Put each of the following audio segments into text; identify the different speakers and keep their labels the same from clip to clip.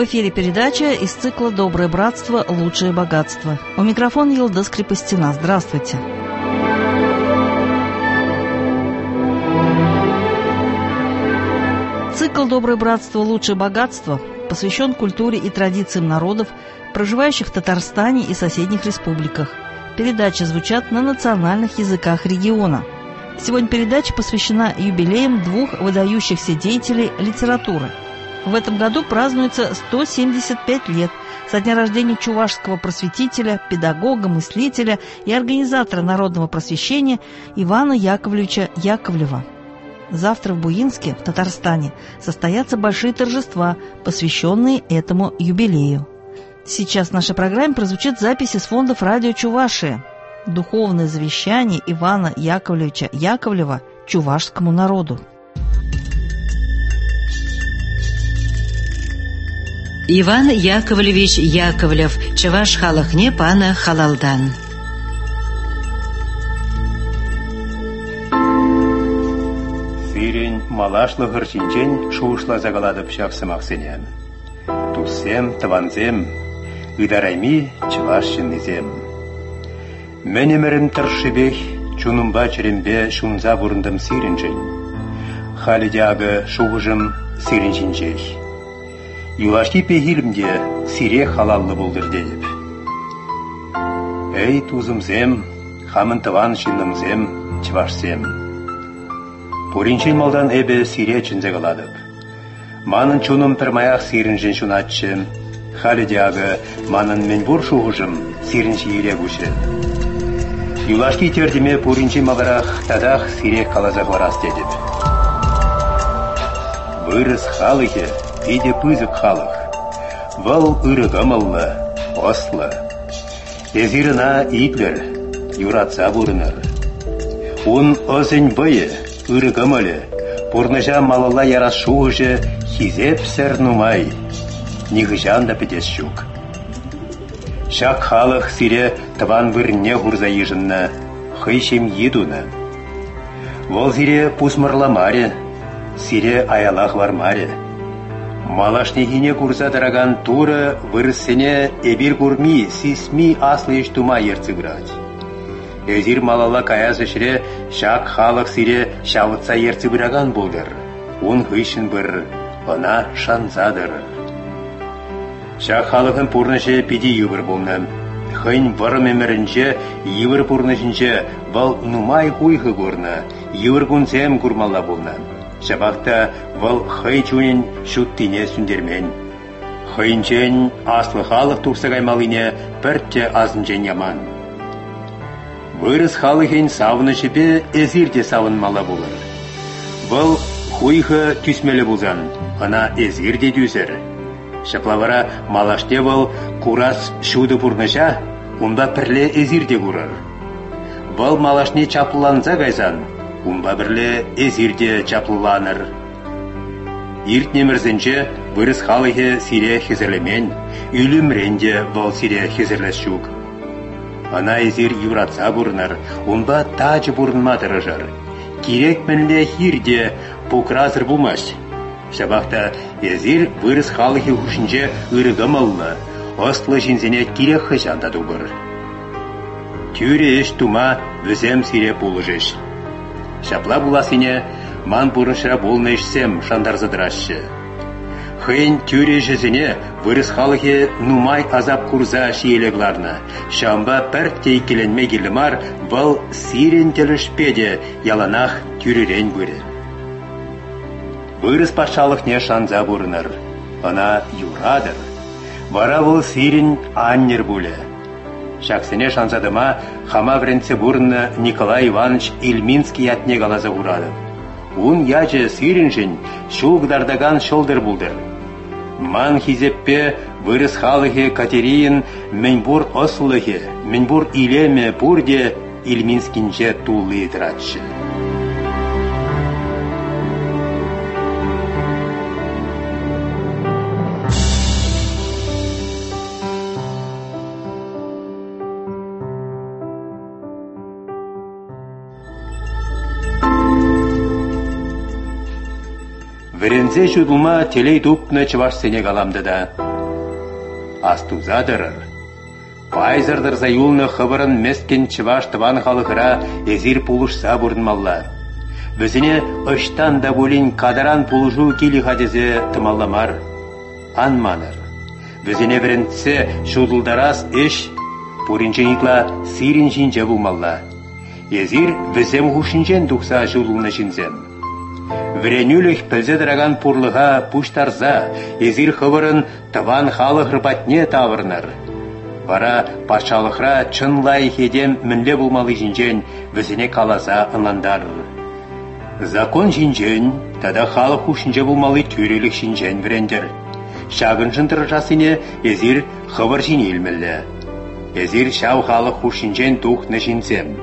Speaker 1: В эфире передача из цикла «Доброе братство. Лучшее богатство». У микрофона Йылдыз Крепостина. Здравствуйте. Цикл «Доброе братство. Лучшее богатство» посвящен культуре и традициям народов, проживающих в Татарстане и соседних республиках. Передачи звучат на национальных языках региона. Сегодня передача посвящена юбилеям двух выдающихся деятелей литературы. В этом году празднуется 175 лет со дня рождения чувашского просветителя, педагога, мыслителя и организатора народного просвещения Ивана Яковлевича Яковлева. Завтра в Буинске, в Татарстане, состоятся большие торжества, посвященные этому юбилею. Сейчас в нашей программе прозвучит запись из фондов радио Чувашия. Духовное завещание Ивана Яковлевича Яковлева чувашскому народу.
Speaker 2: Иван Яковлевич Яковлев, чуваш халықне паны халалдан.
Speaker 3: Сирень малашлы гырчинчен шуышла загаладып шақсымақсенем. Туссем, таванзем, ыдарайми чувашшыннезем. Менемерім тұршыбех, чунымба черембе шунза бұрындым сиренчен. Халидяғы шуғыжым сиренченчех. Юлашки пехилімде сире халаллы болдыр deyip. Эй тузымзем, хамын тыван шиннымзем, чывашсем. Пуринчен малдан эбе сире чынзе каладып. Манын чуным тырмаяқ сиренчен шунатчы. Халидяғы манын менбур шуғыжым сиренче еле күші. Юлашки тердеме пуринчен маларақ тадақ сире калазақ варас дедіп. Вырыс халыхе, иде пызык халық. Вал ырыгымыллы, ослы. Езирына итлер, юратса бұрыныр. Он озын бұйы, ырыгымылы, бұрныжа малыла ярас шуғыжы хизеп сәр нумай. Нигыжан да петес шук. Шак халық сире тыван вырне хурза ежынна, хыйшем едуна. Вол сире пусмырламаре, сире аялах вармаре. Малашнегине курса дыраган туры вырыссене эбир курми, сисми аслы иштума ерцыграть. Эзир малала каязышре шак халық сире шавытса ерцыграган болдыр. Он хыйшын бір, она шанзадыр. Шак халықын пурныше пиди юбыр болны. Хын варым эмерінче, юбыр пурнышынче, вал нумай хуйхы көрні, юбыр күнсем күрмалла болны. Шабақта вал хый чунин шуттине сүндермен. Хыйнчен аслы халық турсагаймалыне піртте азынчен яман. Вырыс халықен савынышыпе эзирде савынмала болыр. Вал хуйхы түсмелі болзан, ана эзирде дүсір. Шаплавара малаште вал курас шуды пурныша, унда пірле эзирде курыр. Вал малашне чапланза гайзан, унба бірле эзирде чаплыланыр. Иртнемірзінче вырыс халығы сире хезірлемен, үлімренде вал сире хезірлес шук. Ана эзир юратса бұрыныр, унба тачы бұрынма дырыжыр. Керек мінле хирде пукразыр бұлмаш. Шабақта эзир вырыс халығы хушынче ырыгымылы, ослы жинзене керек хыжанда дұбыр. Тюре еш тума візем сире пулыжыш. Шапла буласыне ман бұрыншыра болнайшсем шандарзадырашы. Хын тюре жезіне вырыс халығы нумай азап курза шиелегларна. Шамба пәрттей келенме келімар вал сирен телішпеде яланах тюререн бөрі. Вырыс пашалық не шанза бұрыныр. Ана юрадыр. Вара вал сирен аннер бұлі. Шақсыне шанзадыма хама вренце бұрынны Николай Иванович Ильминский ятне қалаза ұрады. Он ячы сиренжін шуғдардаган шолдыр бұлдыр. Ман хизеппе вырыс халығы Катерин менбур ослығы, менбур илеме бұрде Ильминскинче тулы дыратшы. Верензе жудылма телей дупны чываш сене каламды да. астузадырыр. Пайзырдырза юлны хыбырын мескен чываш тыван халыхыра эзир пулышса бурнмалла. Бізіне ыштан да булин кадаран пулыжу кили хадезе тымалламар. Анманыр. Бізіне бірінтсе шудылдарас эш пуринченитла сиринчинче булмалла. Езир візем хушинчен тухса шудылны шинзем. Вренюлих пілзедіраган пурлыға пуштарза, езир хыбырын тыван халыхыр батне тавырныр. Вара патшалықра чынлай хедем мінле булмалы жинжен візіне каласа ынландар. Закон жинжен, тада халық хушинче булмалы түрелік шинжен врендер. Шагын жынтыр жасыне езир хыбыр жинелмілі. Езир шау халық хушинчен тухны жинзем.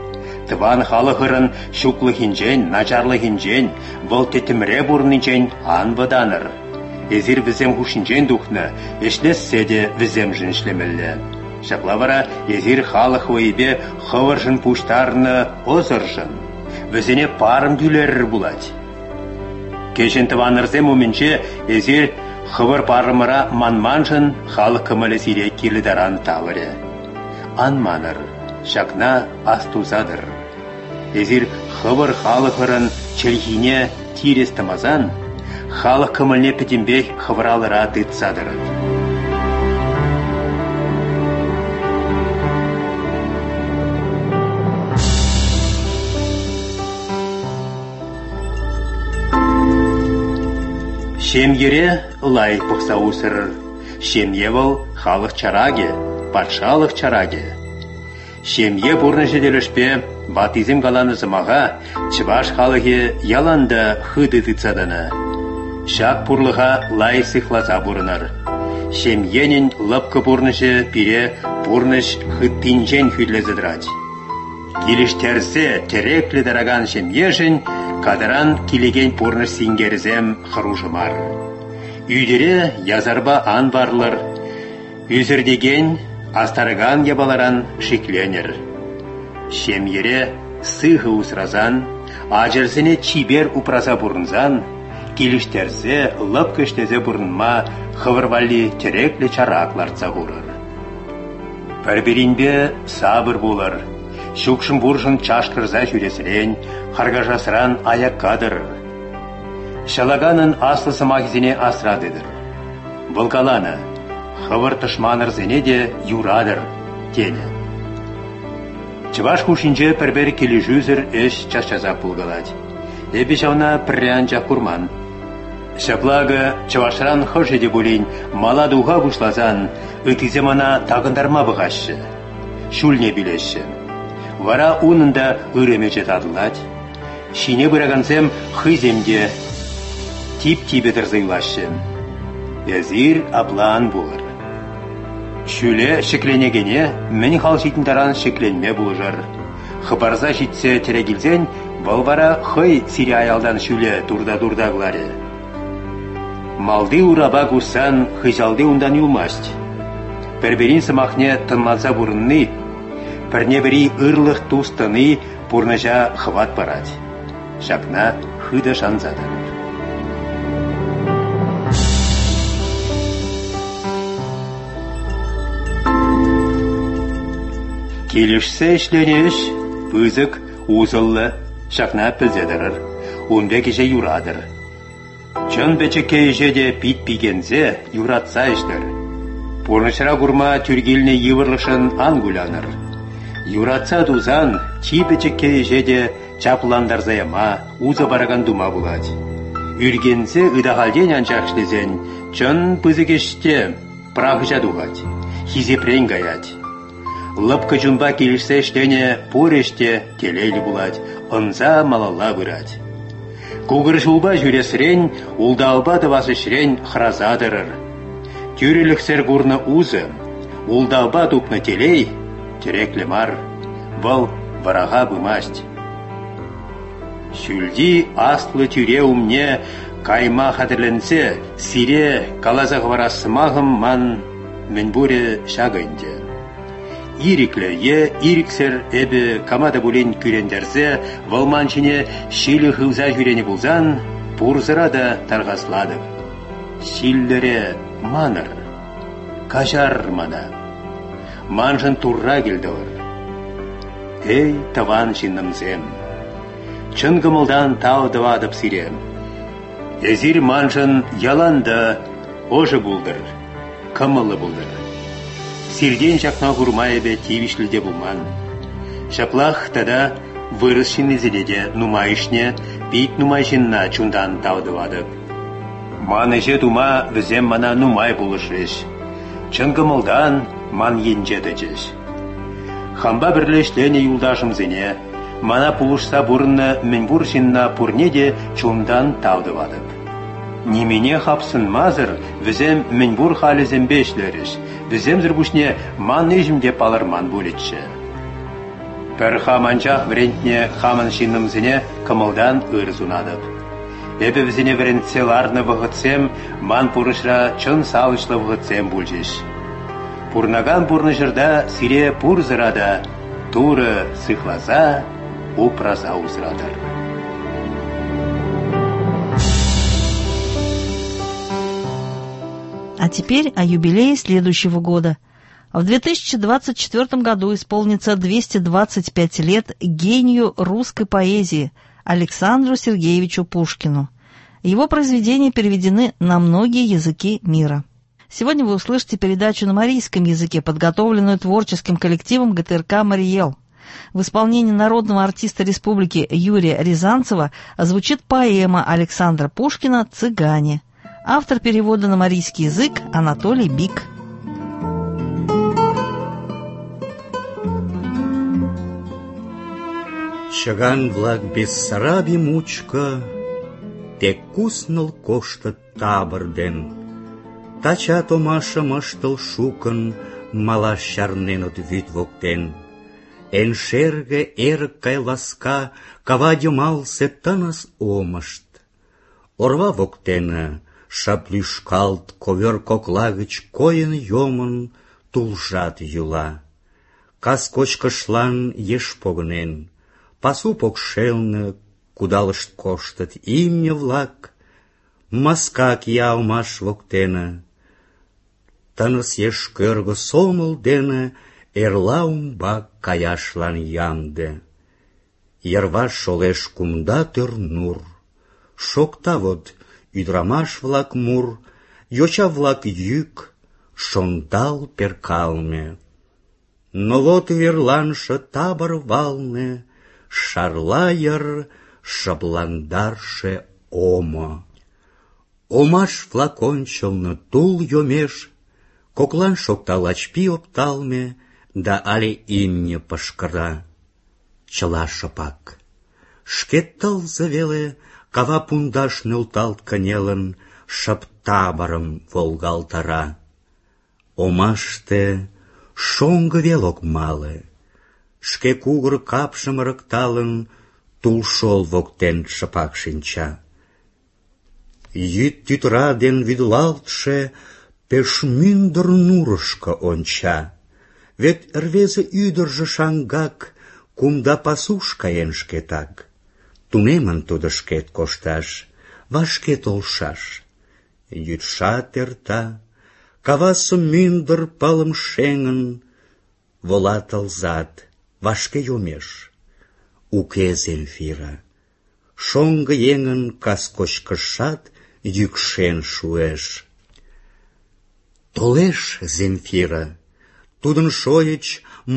Speaker 3: Тыван халыхырын шуклы хинжен, начарлы хинжен, бұл тетімре бұрнынчен анваданыр. Езир візем хушинжен тухны, ешлессе де візем жыншлемілі. Шаплавара езир халық ойбе хывыржын пуштарны озыржын. Візіне парым дүлерір бұлад. Кешен тыванырзем өмінше езир хывыр парымыра манманжын халық кымылы сирек келідаран тавыры. Анманыр, шакна астузадыр. Езир хывыр халықырын челхине тирес тамазан, халық кымылне петімбек хывыралыра дытсадыр. Шемьере лай пықса усыр, шемье был халық чараге, патшалық чараге. Шемье бұрны жеделішпе батизм қаланы зымаға, чываш халығы яланда хыды тыцаданы. Шак пұрлыға лай сықлаза бұрыныр. Шемьенін лыпқы бұрнышы пире бұрныш хыттинжен хүдлезідрать. Келіштерсе тереклі дараган шемьешін кадаран келеген бұрныш сингерізем хырушымар. Үйдері язарба ан барлыр. Үзірдеген астарыган ябаларан шекленер. Шемьере сығы усразан, ажырсыне чибер упраза бұрынзан, келіштерзе лып көштезе бұрынма хывырвали тереклі чаракларца ғурыр. Пәрберінбе сабыр болыр. Шукшын бұржын чашқырза жүресірен, қарғажасыран аяққадыр. Шалаганын аслы сымағызіне асрадыдыр. Бұлғаланы, хывыр тышманыр зене де юрадыр, тені. Чываш хушинче пәрбер келі жүзір эш чашчаза бұлғалад. Эбі жауна піррян жақ курман. Шаплагы чывашран хыршеде болин маладуға бұшлазан, үтіземана тағындарма бұғашы. Шүлне білеші. Вара унында үремече тадылад. Шине бұрағансем хыземде тип-типе дырзайлашы. Езир аплан болыр. Шүле шекленегене мен хал житіндаран шекленме бұлжыр. Хыбарза житсе терегілзен, бұл бара хый сире аялдан шүле турда-турда ғлары. Малды ураба гусан хыжалды ундан юлмасть. Пәрберин сымақне тынланса бұрынны, пірнебірі ырлық тустыны бұрныжа хват барад. Шакна хыда шанзады. Келішсе ішленеш, пызык, узыллы, шакна пілзедірір, онбе кеше юрадыр. Чын бәчекке ежеде пит-пигензе юратса іштір. Бұрнышыра күрма түргеліне евырлышын ангуляныр. Юратса дузан, чи бәчекке ежеде чапландарзаяма, уза бараган дума булад. Үргензе ыдағалден анчақ іштезен, чын пызык іште прағыжа дуғад, хизепрен гаят. Лыпкы жумба келішсе іштене пореште телейлі булад, ынза малалла бұрад. Кугыр жулба жүресірен, улдалба дывасышрен хразадырыр. Тюреліксер гурны узы, улдалба тупны телей, тереклі мар, бұл вараға бымасть. Шүлди аслы тюре умне кайма хадырленсе, сире калазақ варасымағым ман мен бұре шағынде. Ириклерге ириксер эбі камада булен күрендерзе, валманчине шилі хылза жүрені бұлзан, бұрзыра да тарғасладық. Шиллере маныр. кажар мана. Манжын турра келділір. Эй, таван жиннымзем, чын гымылдан таудывадып сирем. Езір манжын яланды ожы булдыр, кымылы булдыр. Сирден жақна гурмаебе тивишліде булман. Шаплах тада вырысшын изеледе нумайшне, бит нумайшынна чундан таудывадып. Маныже тума візем мана нумай булышыш. Чын гымылдан ман енжедəcеш. Хамба бірлешлені юлдашымзене, мана пулышса бұрынны мінбұр жинна пурнеде чундан таудывадып. Немене хапсын мазыр, візем мінбұр халізем бешлеріш, візем зірбушне ман ежімде палырман бөлетші. Пір хаманчах врентне хамын шиннымзене кымылдан ырзунадып. Эбі візене врентсе ларны вғытсем, ман пурышра чын салышлы вғытсем бүлжеш. Пурнаган пурны жырда сире пур зырада, туры сыхлаза, упраза узрадыр.
Speaker 1: А теперь о юбилее следующего года. В 2024 году исполнится 225 лет гению русской поэзии Александру Сергеевичу Пушкину. Его произведения переведены на многие языки мира. Сегодня вы услышите передачу на марийском языке, подготовленную творческим коллективом ГТРК «Мариэл». В исполнении народного артиста республики Юрия Рязанцева звучит поэма Александра Пушкина «Цыгане». Автор перевода на марийский язык Анатолий Бик.
Speaker 4: Чыган-влак Бессарабий мучко тек кусныл коштыт табыр ден. Тачат омашым ыштыл шукын, малаш чарненыт вӱд воктен. Эн шерге эрык гай ласка кава йымалсе тыныс омышт. Орва воктене шып лӱшкалт ковёр кокла гыч койын йомын тулжат йӱла. Кас кочкышлан еш погынен, пасу покшелне кудалышт коштыт имне-влак. Маска кия омаш воктене, тыныс еш кӧргӧ сомыл дене эрла умбак каяшлан ямде. Йырваш шолеш кумда тӧр нур, шокта вот ӱдырамаш-влак мур, йоча-влак йӱк, шондал перкалме. Но вот верланше табор валне шарла йыр шыпландарше омо. Омаш-влак ончылно тул йомеш, коклан шокта лач пий опталме да але имне пышкыра. Чыла шыпак. Шкет тылзе веле кава пундаш нӧлталт кынелын, шып таборым волгалтара. Омаште шоҥго вел ок мале, шке кугыр капшым ырыкталын, тулшол воктен шыпак шинча. Йӱд тӱтыра ден вӱдылалтше пеш мӱндыр нурышко онча. Вет рвезе ӱдыржӧ шаҥгак кумда пасуш каен шкетак. Тунемын тудо шкет кошташ, вашке толшаш. Йӱдшат эрта, кавасе мӱндыр пылым шеҥын, вола тылзат, вашке йомеш. Уке Земфира. Шоҥго еҥын кас кочкышат йӱкшен шуэш. Толеш Земфира. Тудын шойыч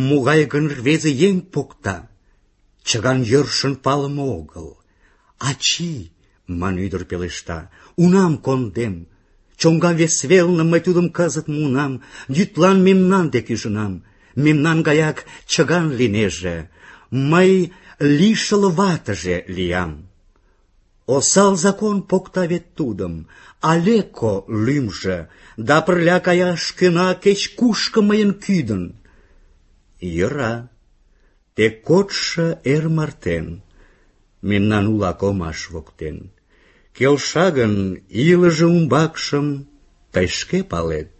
Speaker 4: могай гын рвезе еҥ покта. Чыган йӧршын палыме огыл. «Ачий», — ман ӱдыр пелешта, — «унам кондем. Чоҥга вес велне мый тудым кызыт муынам, йӱдлан мемнан дек ӱжынам. Мемнан гаяк чыган лийнеже. Мый лишыл ватыже лиям». Осал закон покта вет тудым, Алеко лӱмжӧ, да пырля каяш кӧна кеч-кушко мыйын кӱдын. Йӧра, тек кодшо эр мартен, мемнан улак омаш воктен. Келша гын илыже умбакшым тый шке палет,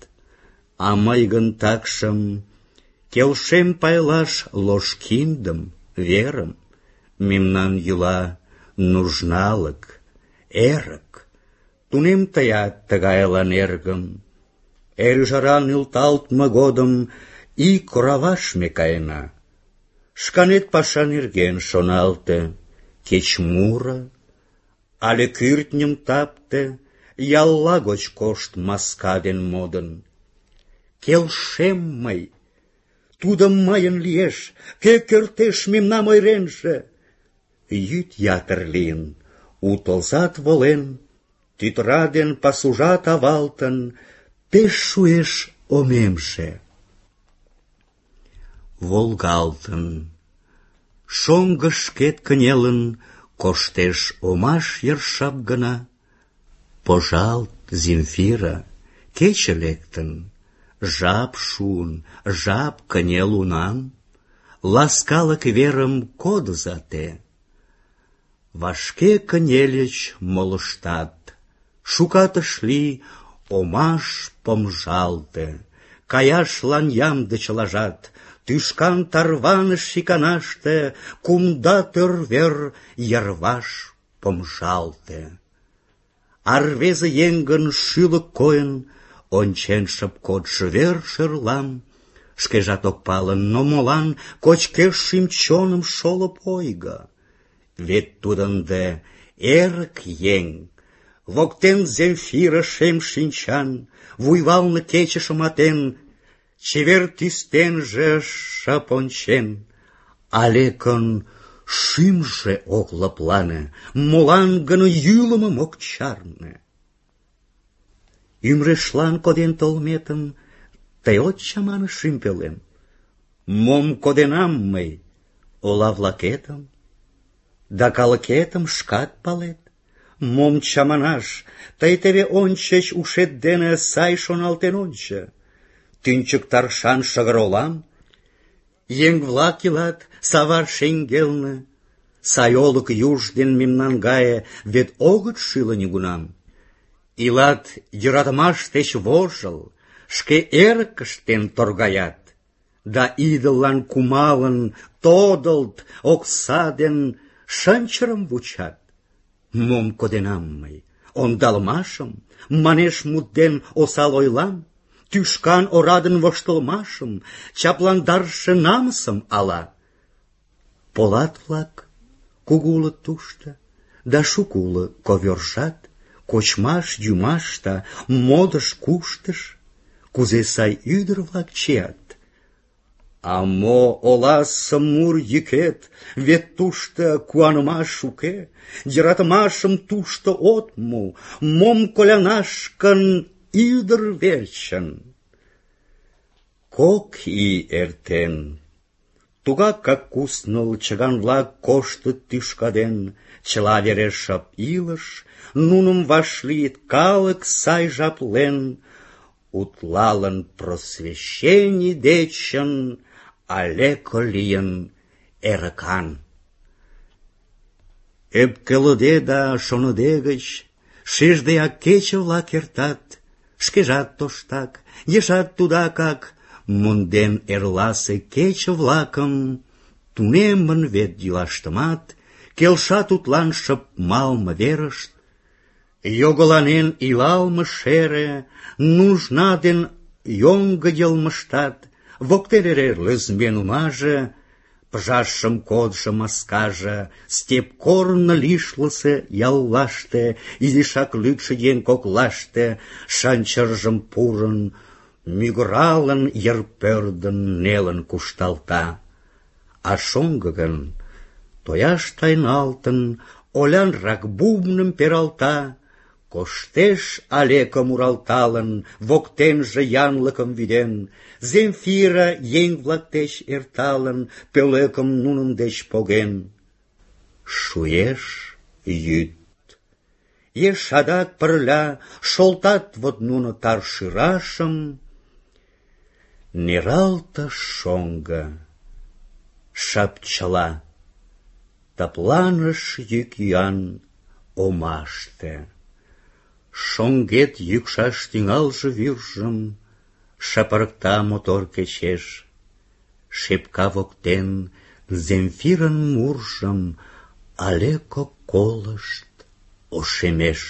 Speaker 4: а мый гын такшым келшем пайлаш лош киндым, верым. Мемнан йӱла нужналык, эрык. Тунем тыят тыгайлан, эргым. Эр ӱжара нӧлталтме годым ик ораваш ме каена. Шканет паша нерген шоналте, кеч муро, але кӱртньым тапте, ялла гоч кошт маска ден модын. Келшем мый, тудо мыйын лиеш, кӧ кертеш мемнам ойренже. Йӱд ятыр лийын, у тылзат волен, тӱтыра ден пасужат авалтын, пеш шуэш омемше. Волгалтын, шоҥго шкет кынелын, коштеш омаш йыр шып гына. Пожалт, Земфира, кече лектын, жап шуын, жап кынел унам, ласкалык верым кодыза те. Вашке кынельыч молыштат, шукат ыш лий, омаш помжалте, каяшлан ямде чылажат, тӱшкан тарваныш иканаште, кумда тӧр вер йырваш помжалте. А рвезе еҥын шӱлык койын, ончен шып кодшо вер шӧрлам, шкежат ок пале, но молан кочкеш шӱм-чоным шолып ойго. Вет тудо ынде эрык еҥ, воктен Земфира шем шинчан, вуйвалне кече шыматен, чевер тӱстенже шып ончен, Алекын шӱмжӧ ок лыплане, молан гын йӱлымым ок чарне. Ӱмырешлан коден толметым тый от чамане, шӱм пелем? Мом коденам мый, ола-влакетым, да калыкетым шкат палет? Мом чаманаш, тый теве ончыч ушет дене сай шоналтен ончо. Тӱнчык таршан шыгыр олам, еҥ-влак илат савар шеҥгелне, сай олык юж ден мемнан гае вет огыт шӱлӧ нигунам. Илат йӧратымаш деч вожыл, шке эрыкыштен торгаят, да идыллан кумалын тодылт окса ден шынчырым вучат. Мом коденам мый, ондалмашым, манеш мут ден осал ойлам, тӱшкан орадын воштылмашым, чапландарше намысым ала? Полат-влак кугу улыт тушто, да шуко уло ковёржат, кочмаш-йӱмашта, модыш-куштыш, кузе сай ӱдыр-влак чият. А мо оласе мур йӱкет, вет тушто куанымаш уке, йӧратымашым тушто от му, мом колянаш гын ӱдыр верчын. Кок ий эртен, тугакак кусныл чыган-влак коштыт тӱшка ден, чыла вере шып илыш, нуным вашлийыт калык сай жаплен, утлалын просвещений дечын, Алеко лийын эрыкан. Ӧпкелыде да шоныде гыч шиждеак кече-влак эртат, шкежат тоштак, ешат тудакак, монден эрласе кече-влакым, тунемын вет йӱлаштымат, келша тудлан шып малме верышт, йогыланен илалме шере, нужна ден йоҥго йылмыштат, воктен эре лӧзмбен умаже, пыжашым кодшо маскаже, степ корно лишылысе яллаште, изишак лӱдшӧ еҥ коклаште, шанчыржым пурын, мӱгыралын, йыр пӧрдын, нелын кушталта. А шоҥго гын, тояш тайналтын, олянрак бубным пералта, коштеш Алеко муралталын, воктенже янлыкым вӱден, Земфира еҥ-влак деч эрталын, пӧлекым нунын деч поген. Шуэш йӱд. Еш адак пырля шолтат вот нуно тар шӱрашым. Нералте шоҥго, шып чыла, тыпланыш йӱк-йӱан омаште. Шоҥгет йӱкшаш тӱҥалше вӱржым шапырыкта мотор кечеш. Шепка воктен Земфирын муржым Алеко колышт ошемеш.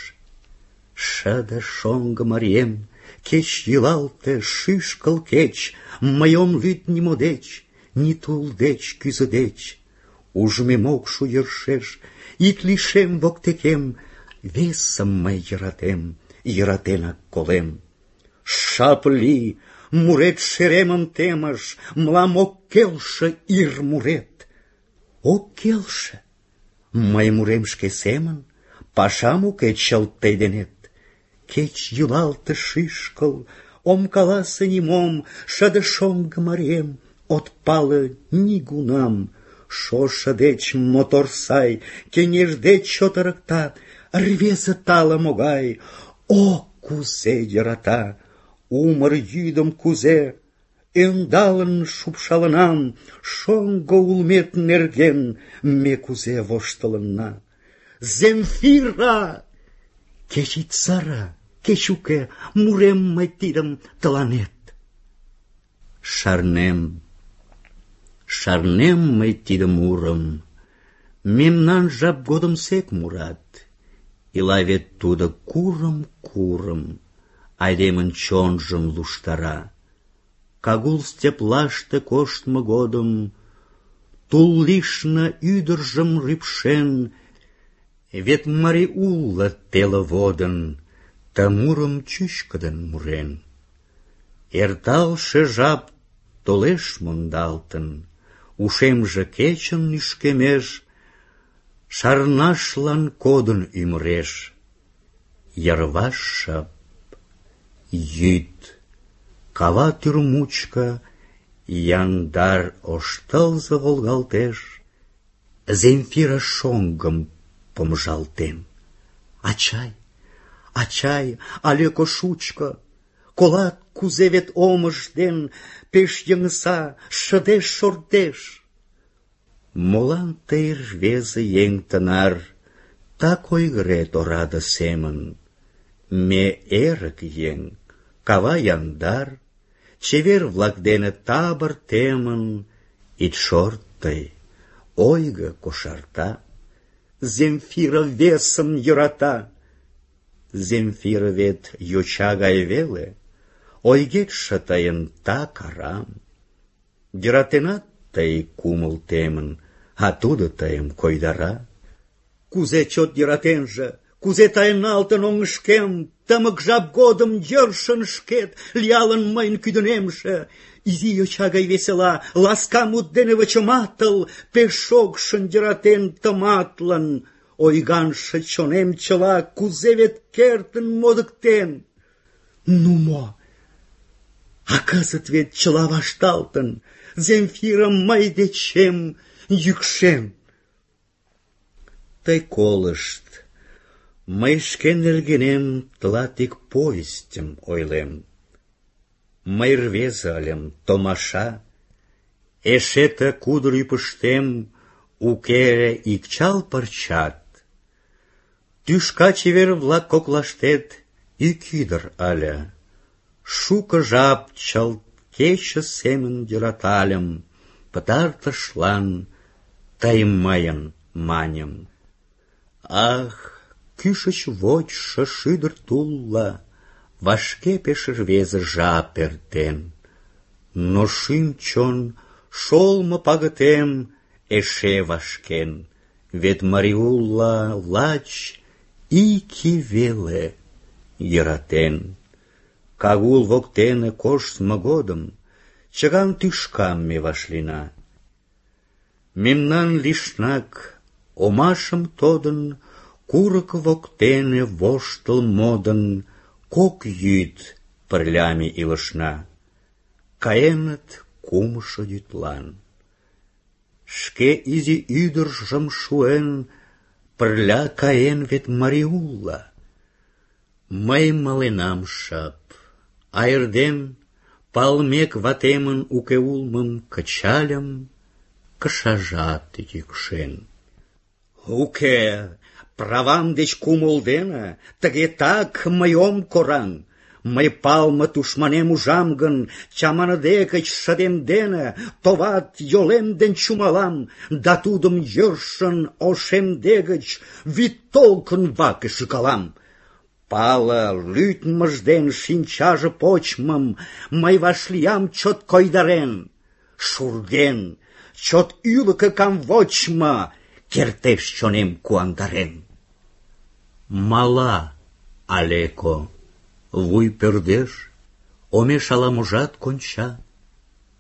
Speaker 4: Шыде шоҥго марием, Кеч йӱлалте шӱшкыл кеч, мый ом лӱд нимо деч, ни тул деч, кӱзӧ деч. Ужмем ок шу йӧршеш, ик лишем воктекем, весым мый йӧратем, йӧратенак колем. Шап лий, мурет шеремым темыш, мылам ок келше ир мурет. Ок келше? Мый мурем шке семын, пашам уке чылт тый денет. Кеч йӱлалте шӱшкыл, ом каласе нимом, шыде шоҥго марием, от пале нигунам. Шошо деч мотор сай, кеҥеж деч чот ырыкта, рвезе тале могай, о, кузе йӧрата! Умыр йӱдым кузе ӧндалын шупшалынам, шоҥго улмет нерген ме кузе воштылынна. Земфира! Кеч ит сыре, кеч уке, мурем мый тидым тыланет. Шарнем мый тиде мурым, мемнан жап годымсек мурат. Ила вет тудо курым, айдемын чонжым луштара. Кагул степлаште коштмо годым, тул лишне ӱдыржым рӱпшен, вет марий уло теле водын, ты мурым чӱчкыдын мурен. Эрталше жап толеш мондалтын, ушемже кечын лӱшкемеш, шарнашлан кодын ӱмыреш. Йырваш шып, йӱд, кава тӱр мучко яндар ош тылзе волгалтеш. Земфира шоҥгым помыжалтен. Ачай, ачай, алеко шучко, колат, кузе вет омыж ден пеш йыҥыса, шыдеш шортеш. Молан тый, рвезе еҥ тынар, так ойгырет ораде семын? Ме эрык еҥ, кава яндар, чевер-влак дене табор темын, ит шорт тый, ойго кошарта. Земфира весым йӧрата. Земфира вет йоча гай веле, ойгетше тыйын так арам. Йӧратенат тый кумыл темын, а тудо тыйым койдара. Кузе чот йӧратенже, кузе тайналтын оҥышкем, тымык жап годым йӧршын шкет, лиялын мыйын кӱдынемже. Изи йоча гай весела, ласка мут дене вычыматыл, пеш шокшын йӧратен тыматлын. Ойганше чонем чыла, кузе вет кертын модыктен. Ну мо? А кызыт вет чыла вашталтын, Земфира мый дечем йӱкшен. Тый колышт, мый шке нергенем тылат ик повестьым ойлем. Мый рвезе ыльым, томаша, эше ты кудыр ӱпыштем уке ик чал пырчат. Тӱшка чевер-влак коклаштет ик ӱдыр ыле. Шуко жап чылт кече семын йӧратальым, пытартышлан тый мыйын маньым. Ах, кӱшыч вочшо шӱдыр тулла, вашке пеш рвезе жап эртен. Но шӱм-чон шолмо пагытем эше вашкен, вет марий улла лач ики веле йӧратен. Кагул воктене коштмо годым чыган тӱшкам ме вашлийна. Мемнан лишнак омашым тодын, курык воктене воштыл модын, кок йӱд пырля ме илышна. Каеныт кумшо йӱдлан. Шке изи ӱдыржым шуэн, пырля каен вет марий улла. Мый маленам шып, а эрден, палмек ватемын уке улмым кычальым, кышажат йӱкшен. Уке, правам деч кумыл дене, тыге так мый ом кораҥ. Мый палме тушманем ужам гын, чаманыде гыч шыдем дене, товат йолем ден чумалам, да тудым йӧршын ошемде гыч вӱд толкын ваке шӱкалам. Пала лӱдмыж ден шинчаже почмым мый вашлиям чот койдарен. Шурген, чот ӱлыкӧ камвочмо кертеш чонем куандарен. Мала Алеко, вуй пӧрдеш, омеш ала-можат конча.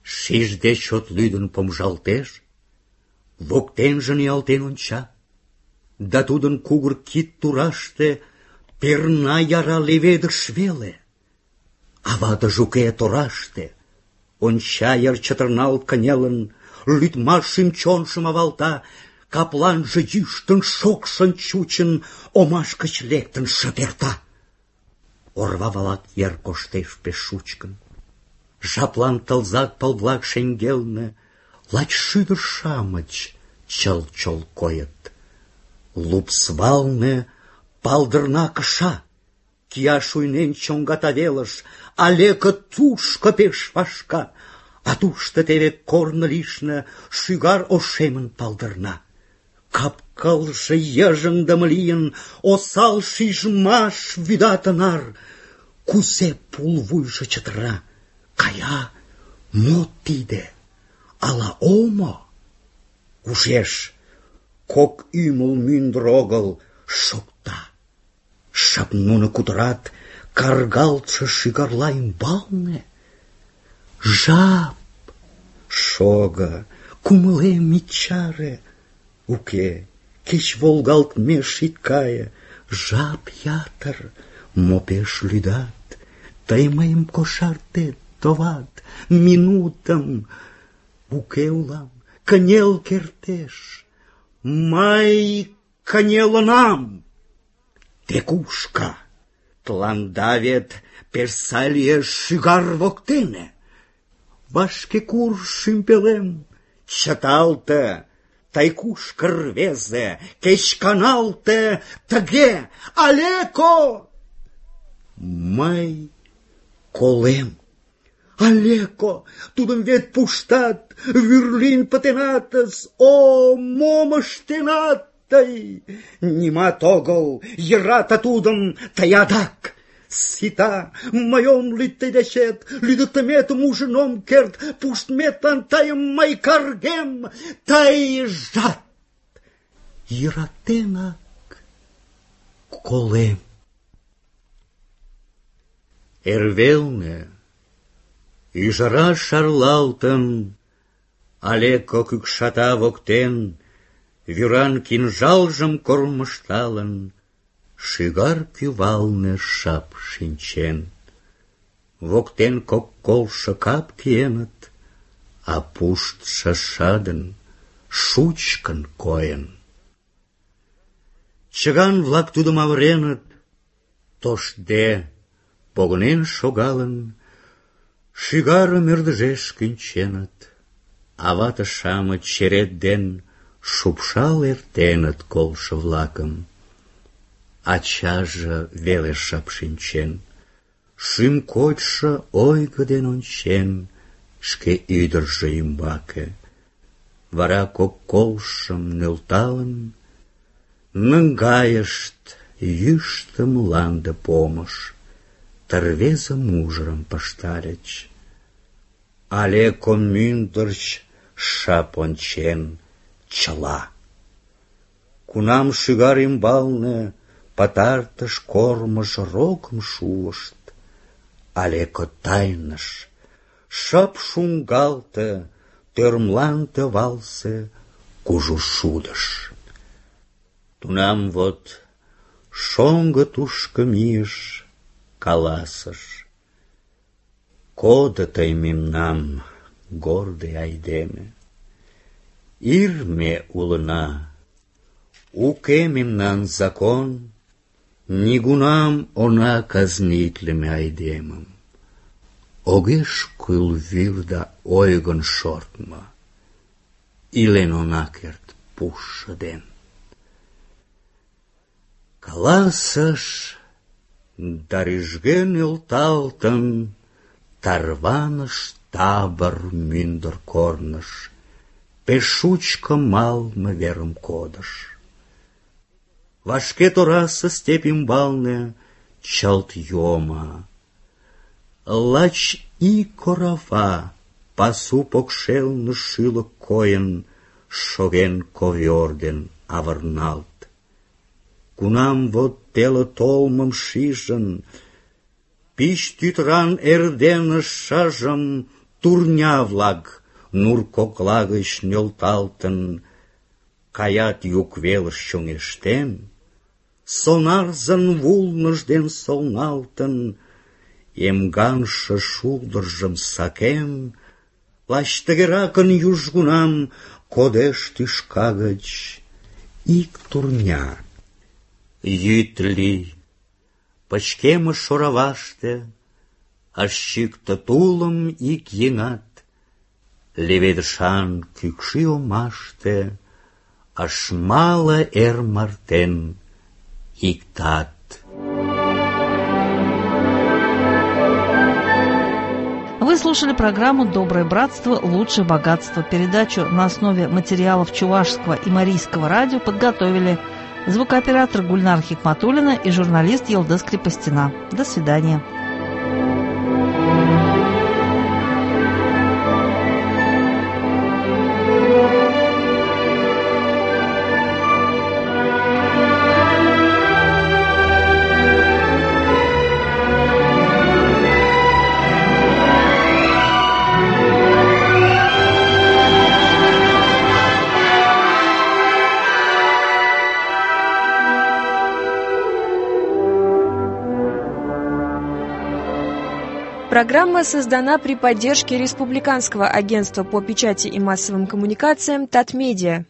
Speaker 4: Шижде чот лӱдын помыжалтеш, воктенже ниялтен онча. Да тудын кугыр кид тураште перна яра леведыш веле. Авадыж уке тораште, онча йыр чытырналт кынелын, лӱдмаш шӱм-чонжым авалта, капланже йӱштын, шокшын чучын, омаш гыч лектын шып эрта. Орва валак йыр коштеш пеш шучкын. Жаплан тылзак пыл-влак шеҥгелне лач шӱдыр-шамыч чыл-чол койыт. Лупс валне палдырна кыша, кия шуйнен чоҥгата велыш, Алеко тушко пеш вашка, а тушто теве корно лишне шӱгар ошемын палдырна. Кап-кылже йыжыҥдыме лийын, осал шижмаш вӱда тынар. Кузе пулвуйжо чытыра, кая, мо тиде, ала омо? Ужеш, кок ӱмыл мӱндыр огыл шокта. Шып нуно кутырат каргалтше шӱгарла ӱмбалне. Жап, шого, кумылем ит чаре. Уке, кеч волгалтмеш ит кае. Жап ятыр, мо пеш лӱдат. Тый мыйым кошартет, товат, минутым. Уке улам, кынел кертеш. Мый кынелынам. Те кушка? Тыланда вет пеш сай лиеш шӱгар воктене. Вашке курж шӱмбелем, чыталте. Тый кушко, рвезе, кеч каналте тыге, Алеко! Мый колем. Алеко, тудым вет пуштат, вӱр лийын пытенатыс. О, мом ыштенат тый? Нимат огыл, йӧрате тудым тый адак. Сита, мый ом лӱд тый дечет, лӱдыктыметым ужын ом керт, пуштметлан тыйым мый каргем, тыйжат йӧратенак колем. Эрвелне ӱжара шарлалтын, Алеко кӱкшата воктен, вӱран кинжалжым кормыжталын, шӱгар кӱвалне шып шинчен. Воктен кок колшо кап киеныт, а пуштшо шыдын, шучкын койын. Чыган-влак тудым авыреныт, тоштде, погынен шогалын, шӱгарым ӧрдыжеш кӱнченыт, а вате-шамыч черет ден шупшал эртеныт колшо-влакым. Ачаже веле шып шинчен, шӱм кочшо ойго ден ончен шке ӱдыржӧ ӱмбаке. Вара кок колшым нӧлталын, наҥгайышт йӱштӧ мланде помыш, ты рвезе мужырым пыштальыч. Алеко мӱндырч шып ончен чыла. Кунам шӱгар ӱмбалне пытартыш кормыж рокым шуышт, Алеко тайныш, шып шуҥгалте тӧрмланте валсе кужу шудыш. Тунам вот шоҥго тушко мийыш, каласыш: «Кодо тый мемнам, гордый айдеме. Ир ме улына, уке мемнан закон, нигунам она казнитлыме айдемым. Огеш кӱл вӱр да ойгын шортмо, илен она керт пушшо ден». Каласыш, да рӱжге нӧлталтын, тарваныш табор мӱндыр корныш, пеш шучко малме верым кодыш. Вашке торасе степь ӱмбалне чылт йомо. Лач ик орава пасу покшелне шӱлык койын, шоген ковёр ден авырналт. Кунам вот теле толмым шижын, пич тӱтыран эрдене шыжым турня-влак нур кокла гыч нӧлталтын, каят юг велыш чоҥештен, сонарзын вулныж ден солналтын, эмгаҥше шулдыржым сакен, лач тыгеракын южгунам кодеш тӱшка гыч ик турня. Йӱд лий, пычкемыш ораваште, ыш чӱктӧ тулым ик еҥат, леведышан кӱкшӱ омаште ыш мале эр мартен иктат.
Speaker 1: Вы слушали программу «Доброе братство. Лучшее богатство». Передачу на основе материалов Чувашского и Марийского радио подготовили звукооператор Гульнар Хикматуллина и журналист Елдыс Крепостина. До свидания.
Speaker 5: Программа создана при поддержке Республиканского агентства по печати и массовым коммуникациям «Татмедиа».